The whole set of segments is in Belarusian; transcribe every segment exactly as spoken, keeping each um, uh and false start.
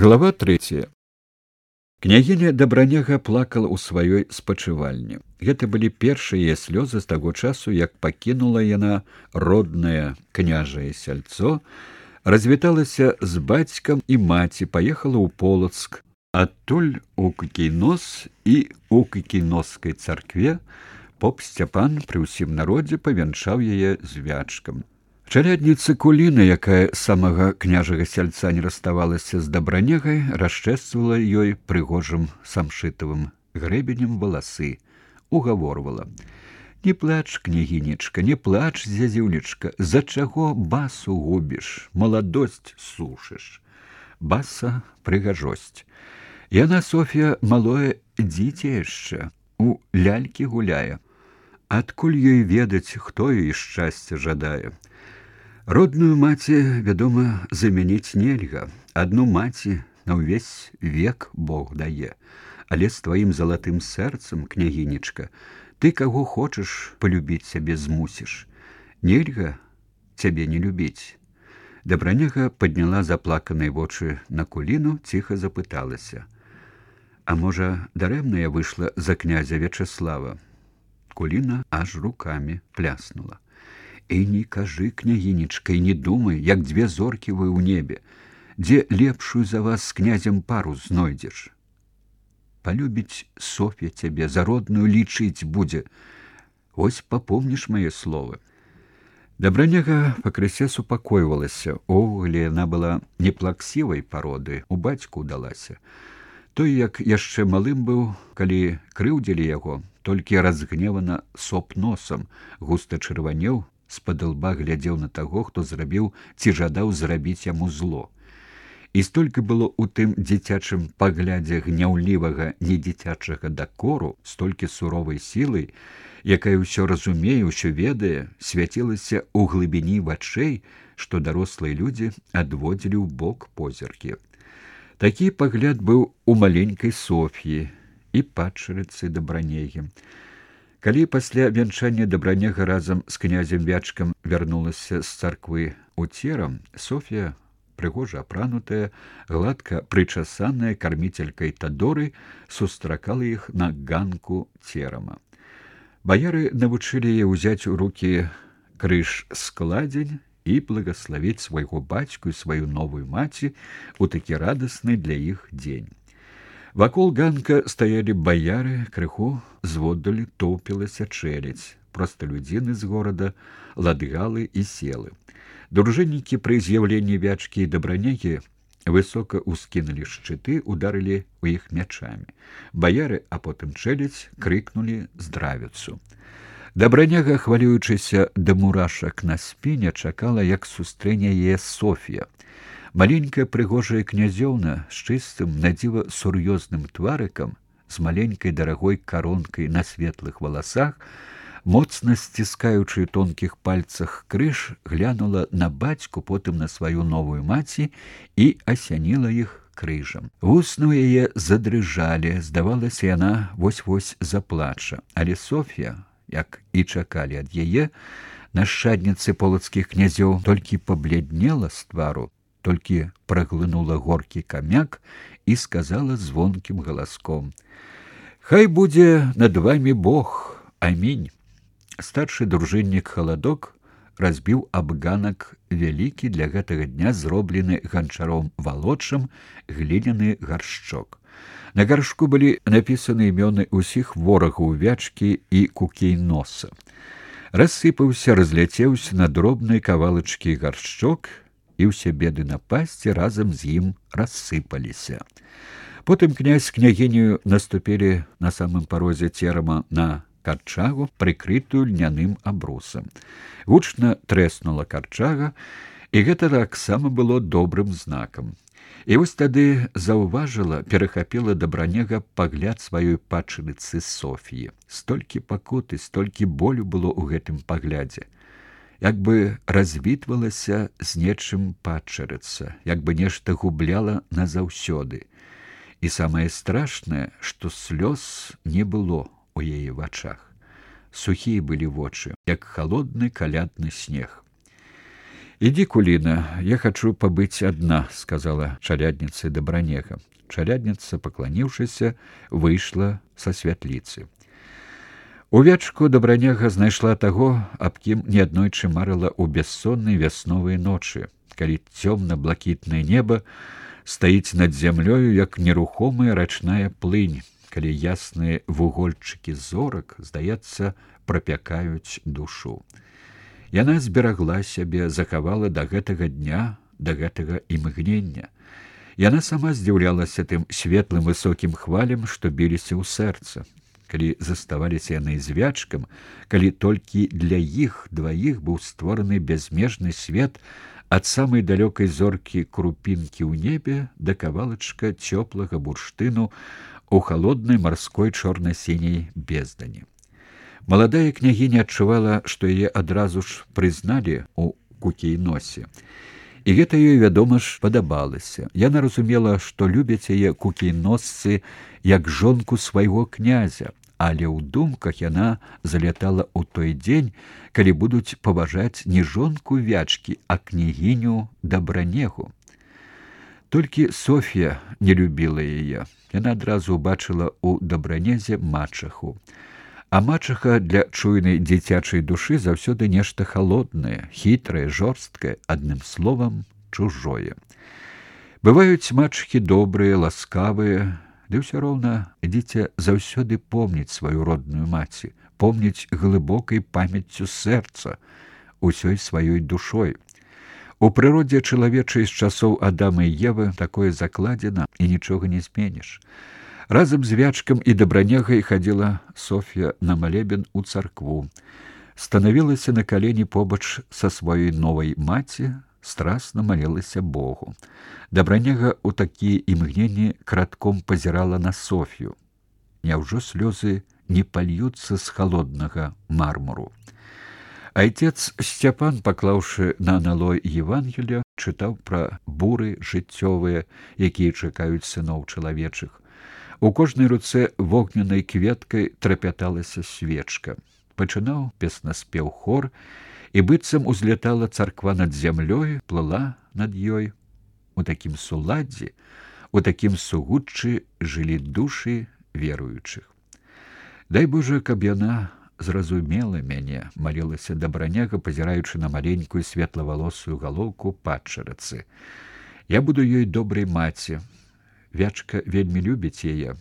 Глава третья. Княгіня Дабраняга плакала ў сваёй спачывальні. Гэта былі першыя слёзы з таго часу, як пакінула яна роднае княжае сяльцо, развіталася з бацькам і маці, паехала ў Полацк, адтуль у Кікійнос, і ў Кікійноскай царкве поп Сцяпан пры ўсім народзе павянчаў яе звячкам. Чалядніца Куліна, якая самага княжага сяльца не раставалася з Дабранягай, расчэсвала ёй прыгожым самшытавым грэбенем валасы, угаворвала: «Не плач, княгінечка, не плач, зязюлечка, за чаго басу губіш, маладосць сушыш». Баса — прыгажосць. Яна, Соф'я, малое дзіця яшчэ, у лялькі гуляе. Адкуль ёй ведаць, хто ёй шчасця жадае? Родную маці, вядома, замяніць нельга. Адну маці на ўвесь век Бог дае. Але з тваім залатым сэрцам, княгінечка, ты каго хочаш палюбіць сябе змусіш. Нельга цябе не любіць. Дабраняга падняла заплаканыя вочы на Куліну, ціха запыталася: «А можа, дарэмна я выйшла за князя Вячаслава?» Куліна аж рукамі пляснула. «І не кажы, княгінечка, і не думай, як дзве зоркі вы ў небе, дзе лепшую за вас з князем пару знойдзеш. Палюбіць Соф'я цябе, за родную лічыць будзе. Вось папомніш мае словы». Дабраняга пакрысе супакойвалася. Увогуле яна была неплаксівай пароды, у бацьку ўдалася. Той, як яшчэ малым быў, калі крыўдзілі яго, толькі разгневана соп носам, густа чырванеў, з-пад лба глядзеў на таго, хто зрабіў ці жадаў зрабіць яму зло. І столькі было ў тым дзіцячым паглядзе гняўлівага недзіцячага дакору, столькі суровай сілы, якая ўсё разумее, ўсё ведае, свяцілася ў глыбіні вачэй, што дарослыя людзі адводзілі ў бок позіркі. Такі пагляд быў у маленькай Соф'і і падчарыцы Дабранягі. Калі пасля вянчання Дабраняга разам з князем Вячкам вярнулася з царквы ў Церам, Соф'я, прыгожа апранутая, гладка прычасаная карміцелькай Тадоры, сустракала іх на ганку Церама. Баяры навучылі яе ўзяць у рукі крыж-складзень і благаславіць свайго бацьку і сваю новую маці у такі радасны для іх дзень. Вакол ганка стаялі баяры, крыху зводдалі тоўпілася чэлядзь, просталюдзіны з горада, ладгалы і селы. Дружыннікі пры з'яўленні Вячкі і Дабранягі высока ўскінулі шчыты, ударылі ў іх мячамі. Баяры, а потым чэлядзь, крыкнулі здравіцу. Дабраняга, хвалюючыся да мурашак на спіне, чакала, як сустрэне яе Соф'я. Маленькая прыгожая князёўна з чыстым, надзіва сур'ёзным тварыкам, з маленькай дарагой каронкай на светлых валасах, моцна сціскаючы ў тонкіх пальцах крыж, глянула на бацьку, потым на сваю новую маці і асяніла іх крыжам. Вусны ў яе задрыжалі, здавалася, яна вось-вось заплача. Але Соф'я, як і чакалі ад яе, нашчадніцы полацкіх князёў, толькі пабляднела з твару, толькі праглынула горкі камяк і сказала звонкім галаском: «Хай будзе над вамі Бог, амінь». Старшы дружыннік Халадок разбіў аб ганак вялікі, для гэтага дня зроблены ганчаром валодчым, гліняны гаршчок. На гаршку былі напісаны імёны ўсіх ворагаў Вячкі і Кікійноса. Рассыпаўся, разляцеўся на дробныя кавалачкі гаршчок, і ўсе беды напасці разам з ім рассыпаліся. Потым князь з княгіняю наступілі на самым парозе Церама на карчагу, прыкрытую льняным абрусам. Гучна трэснула карчага, і гэта таксама было добрым знакам. І вось тады заўважыла, перахапіла Дабраняга пагляд сваёй падчарыцы Соф'і. Столькі пакуты, столькі болю было ў гэтым паглядзе. Як бы развітвалася з нечым падчарыца, як бы нешта губляла назаўсёды. І самае страшнае, што слёз не было у яе вачах. Сухія былі вочы, як халодны калядны снег. Ідзі, Куліна, я хачу пабыць адна, сказала чалядніцы Дабранега. Чалядніца, пакланіўшыся, выйшла са святліцы. У вечку Дабранега знайшла таго, аб кім неаднойчы марыла ў бяссоннай вясновай ночы, калі цёмна-блакітнае неба стаіць над зямлёю, як нерухомая рачная плынь, калі ясныя вугольчыкі зорак, здаецца, прапякаюць душу. Яна зберагла сябе, захавала да гэтага дня, да гэтага імгнення. Яна сама здзіўлялася тым светлым высокім хвалям, што біліся ў сэрца. Калі заставаліся яны звячкам, калі толькі для іх дваіх быў створаны бязмежны свет ад самай далёкай зоркі крупінкі ў небе да кавалачка цёплага бурштыну у халоднай марской чорна-сіняй бездані. Маладая княгіня адчувала, што яе адразу ж прызналі ў Кукейносе. І гэта ёй, вядома ж, падабалася. Яна разумела, што любяць яе кукейносцы як жонку свайго князя, але ў думках яна залятала ў той дзень, калі будуць паважаць не жонку Вячкі, а княгіню Дабранегу. Толькі Соф'я не любіла яе. Яна адразу ўбачыла ў Дабранезе мачаху. А мачаха для чуйнай дзіцячай душы заўсёды нешта халоднае, хітрае, жорсткае, адным словам, чужое. Бываюць мачахі добрыя, ласкавыя, ды ўсё роўна дзіця заўсёды помніць сваю родную маці, помніць глыбокай памяццю сэрца, усёй сваёй душой. У прыродзе чалавечай з часоў Адама і Евы такое закладзена, і нічога не зменіш. Разам з Вячкам і Дабранегай хадзіла Соф'я на малебен у царкву. Станавілася на калені побач са сваёй новай маці, страсна малілася Богу. Дабранега ў такія імгненні кратком пазірала на Соф'ю. Няўжо слёзы не пальюцца з халоднага мармуру? Айцец Сцяпан, паклаўшы на аналой Евангелія, чытаў пра буры жыццёвыя, якія чакаюць сыноў чалавечых. У кожнай руцэ вогненнай кветкай трапяталася свечка. Пачынаў песнаспеў хор, і быццам узлятала царква над зямлёй, плыла над ёй. У такім суладдзі, у такім сугуччы жылі душы веруючых. Дай Божа, каб яна зразумела мяне, малілася Дабраняга, пазіраючы на маленькую светлавалосую галоўку падчарацы. Я буду ёй добрай маці. Вячка вельмі любіць яе,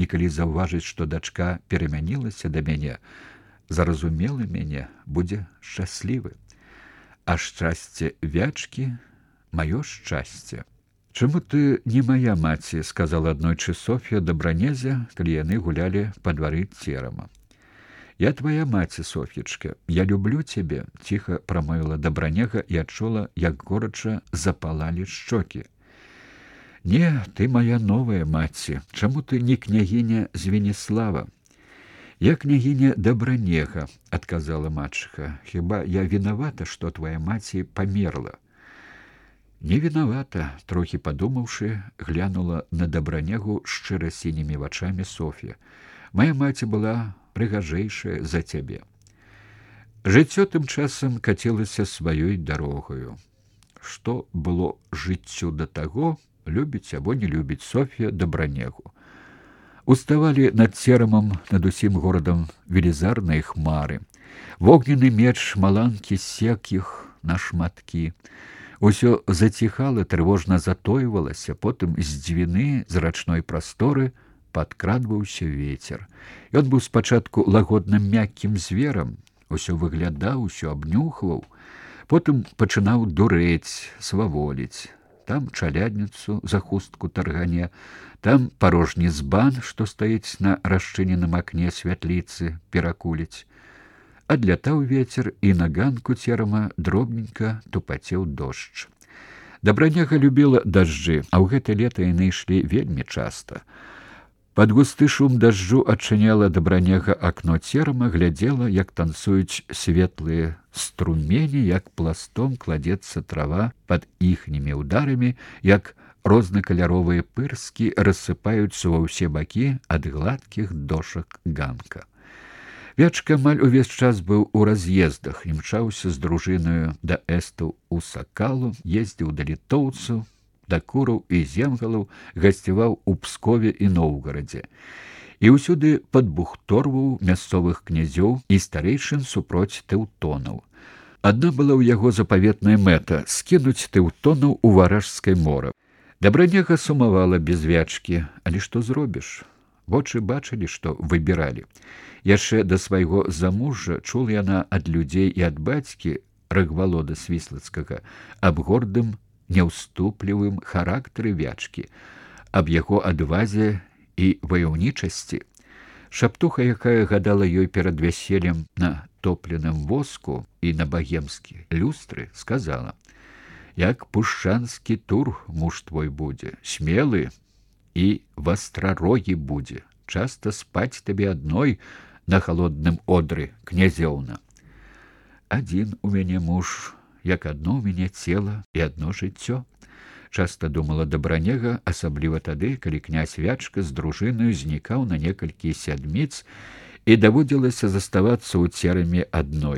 і калі заўважыць, што дачка перамянілася да мяне, зразумела мяне, будзе шчаслівы. А шчасце Вячкі — маё шчасце. Чаму ты не мая маці, сказала аднойчы Соф'я Дабранезе, калі яны гулялі па двары церама. Я твоя маці, Соф'ечка, я люблю цябе, ціха прамовіла Дабранега і адчула, як горача запалалі шчокі. Не, ты моя новая маці. Чаму ты не княгіня Звенислава? Я княгіня Дабранега, адказала мачыха. Хіба я вінавата, што твоя маці памерла? Не вінавата, трохі падумаўшы, глянула на Дабранегу шчыра сінімі вачамі Соф'я. Моя маці была прыгажэйшая за цябе. Жыццё тым часам кацілася сваёй дарогаю. Што было жыццю да таго, любіць або не любіць Соф'я Дабранегу. Уставалі над церамам, над усім горадам велізарныя хмары. Вогненны меч маланкі сек іх на шматкі. Усё заціхала, трывожна затойвалася, потым з дзвіны, з рачной прасторы падкрадваўся вецер. Ён быў спачатку лагодным мяккім зверам, усё выглядаў, усё абнюхваў, потым пачынаў дурэць, сваволіць. Там чалядніцу за хустку таргане, там парожні збан, што стаіць на расчыненым акне святліцы, перакуліць. Адлятаў вецер, і на ганку церама дробненька тупацеў дождж. Дабранега любіла дажджы, а ў гэта лета яны ішлі вельмі часта. Пад густы шум дажджу адчыняла Дабранега акно церама, глядзела, як танцуюць светлыя струмені, як пластом кладецца трава пад іхнімі ўдарамі, як рознакаляровыя пырскі рассыпаюцца ва ўсе бакі ад гладкіх дошак ганка. Вячка амаль увесь час быў у раз'ездах, імчаўся з дружынаю да эстаў у Сакалу, ездзіў да літоўцаў, да кураў і земгалаў, гасцяваў у Пскове і Новгарадзе. І ўсюды падбухторваў мясцовых князёў і старэйшын супроць тэўтонаў. Адна была ў яго запаветная мэта скінуць тэўтонаў у Варажскае мора. Дабраняга сумавала без Вячкі, але што зробіш? Вочы бачылі, што выбіралі. Яшчэ да свайго замужжа чула яна ад людзей і ад бацькі Рагвалода Свіслацкага аб гордым, няўступлівым характары Вячкі, аб яго адвазе і ваяўнічасці. Шаптуха, якая гадала ёй перад вяселлем на топленым воску і на багемскі люстры, сказала: «Як пушчанскі тур муж твой будзе, смелы і вастрарогі будзе, часта спаць табе адной на халодным одры, князёўна. Адзін у мяне муж, як адно ў мяне цела і адно жыццё», часта думала Дабраняга, асабліва тады, калі князь Вячка з дружынаю знікаў на некалькі сядміц і даводзілася заставацца ў церамі адной.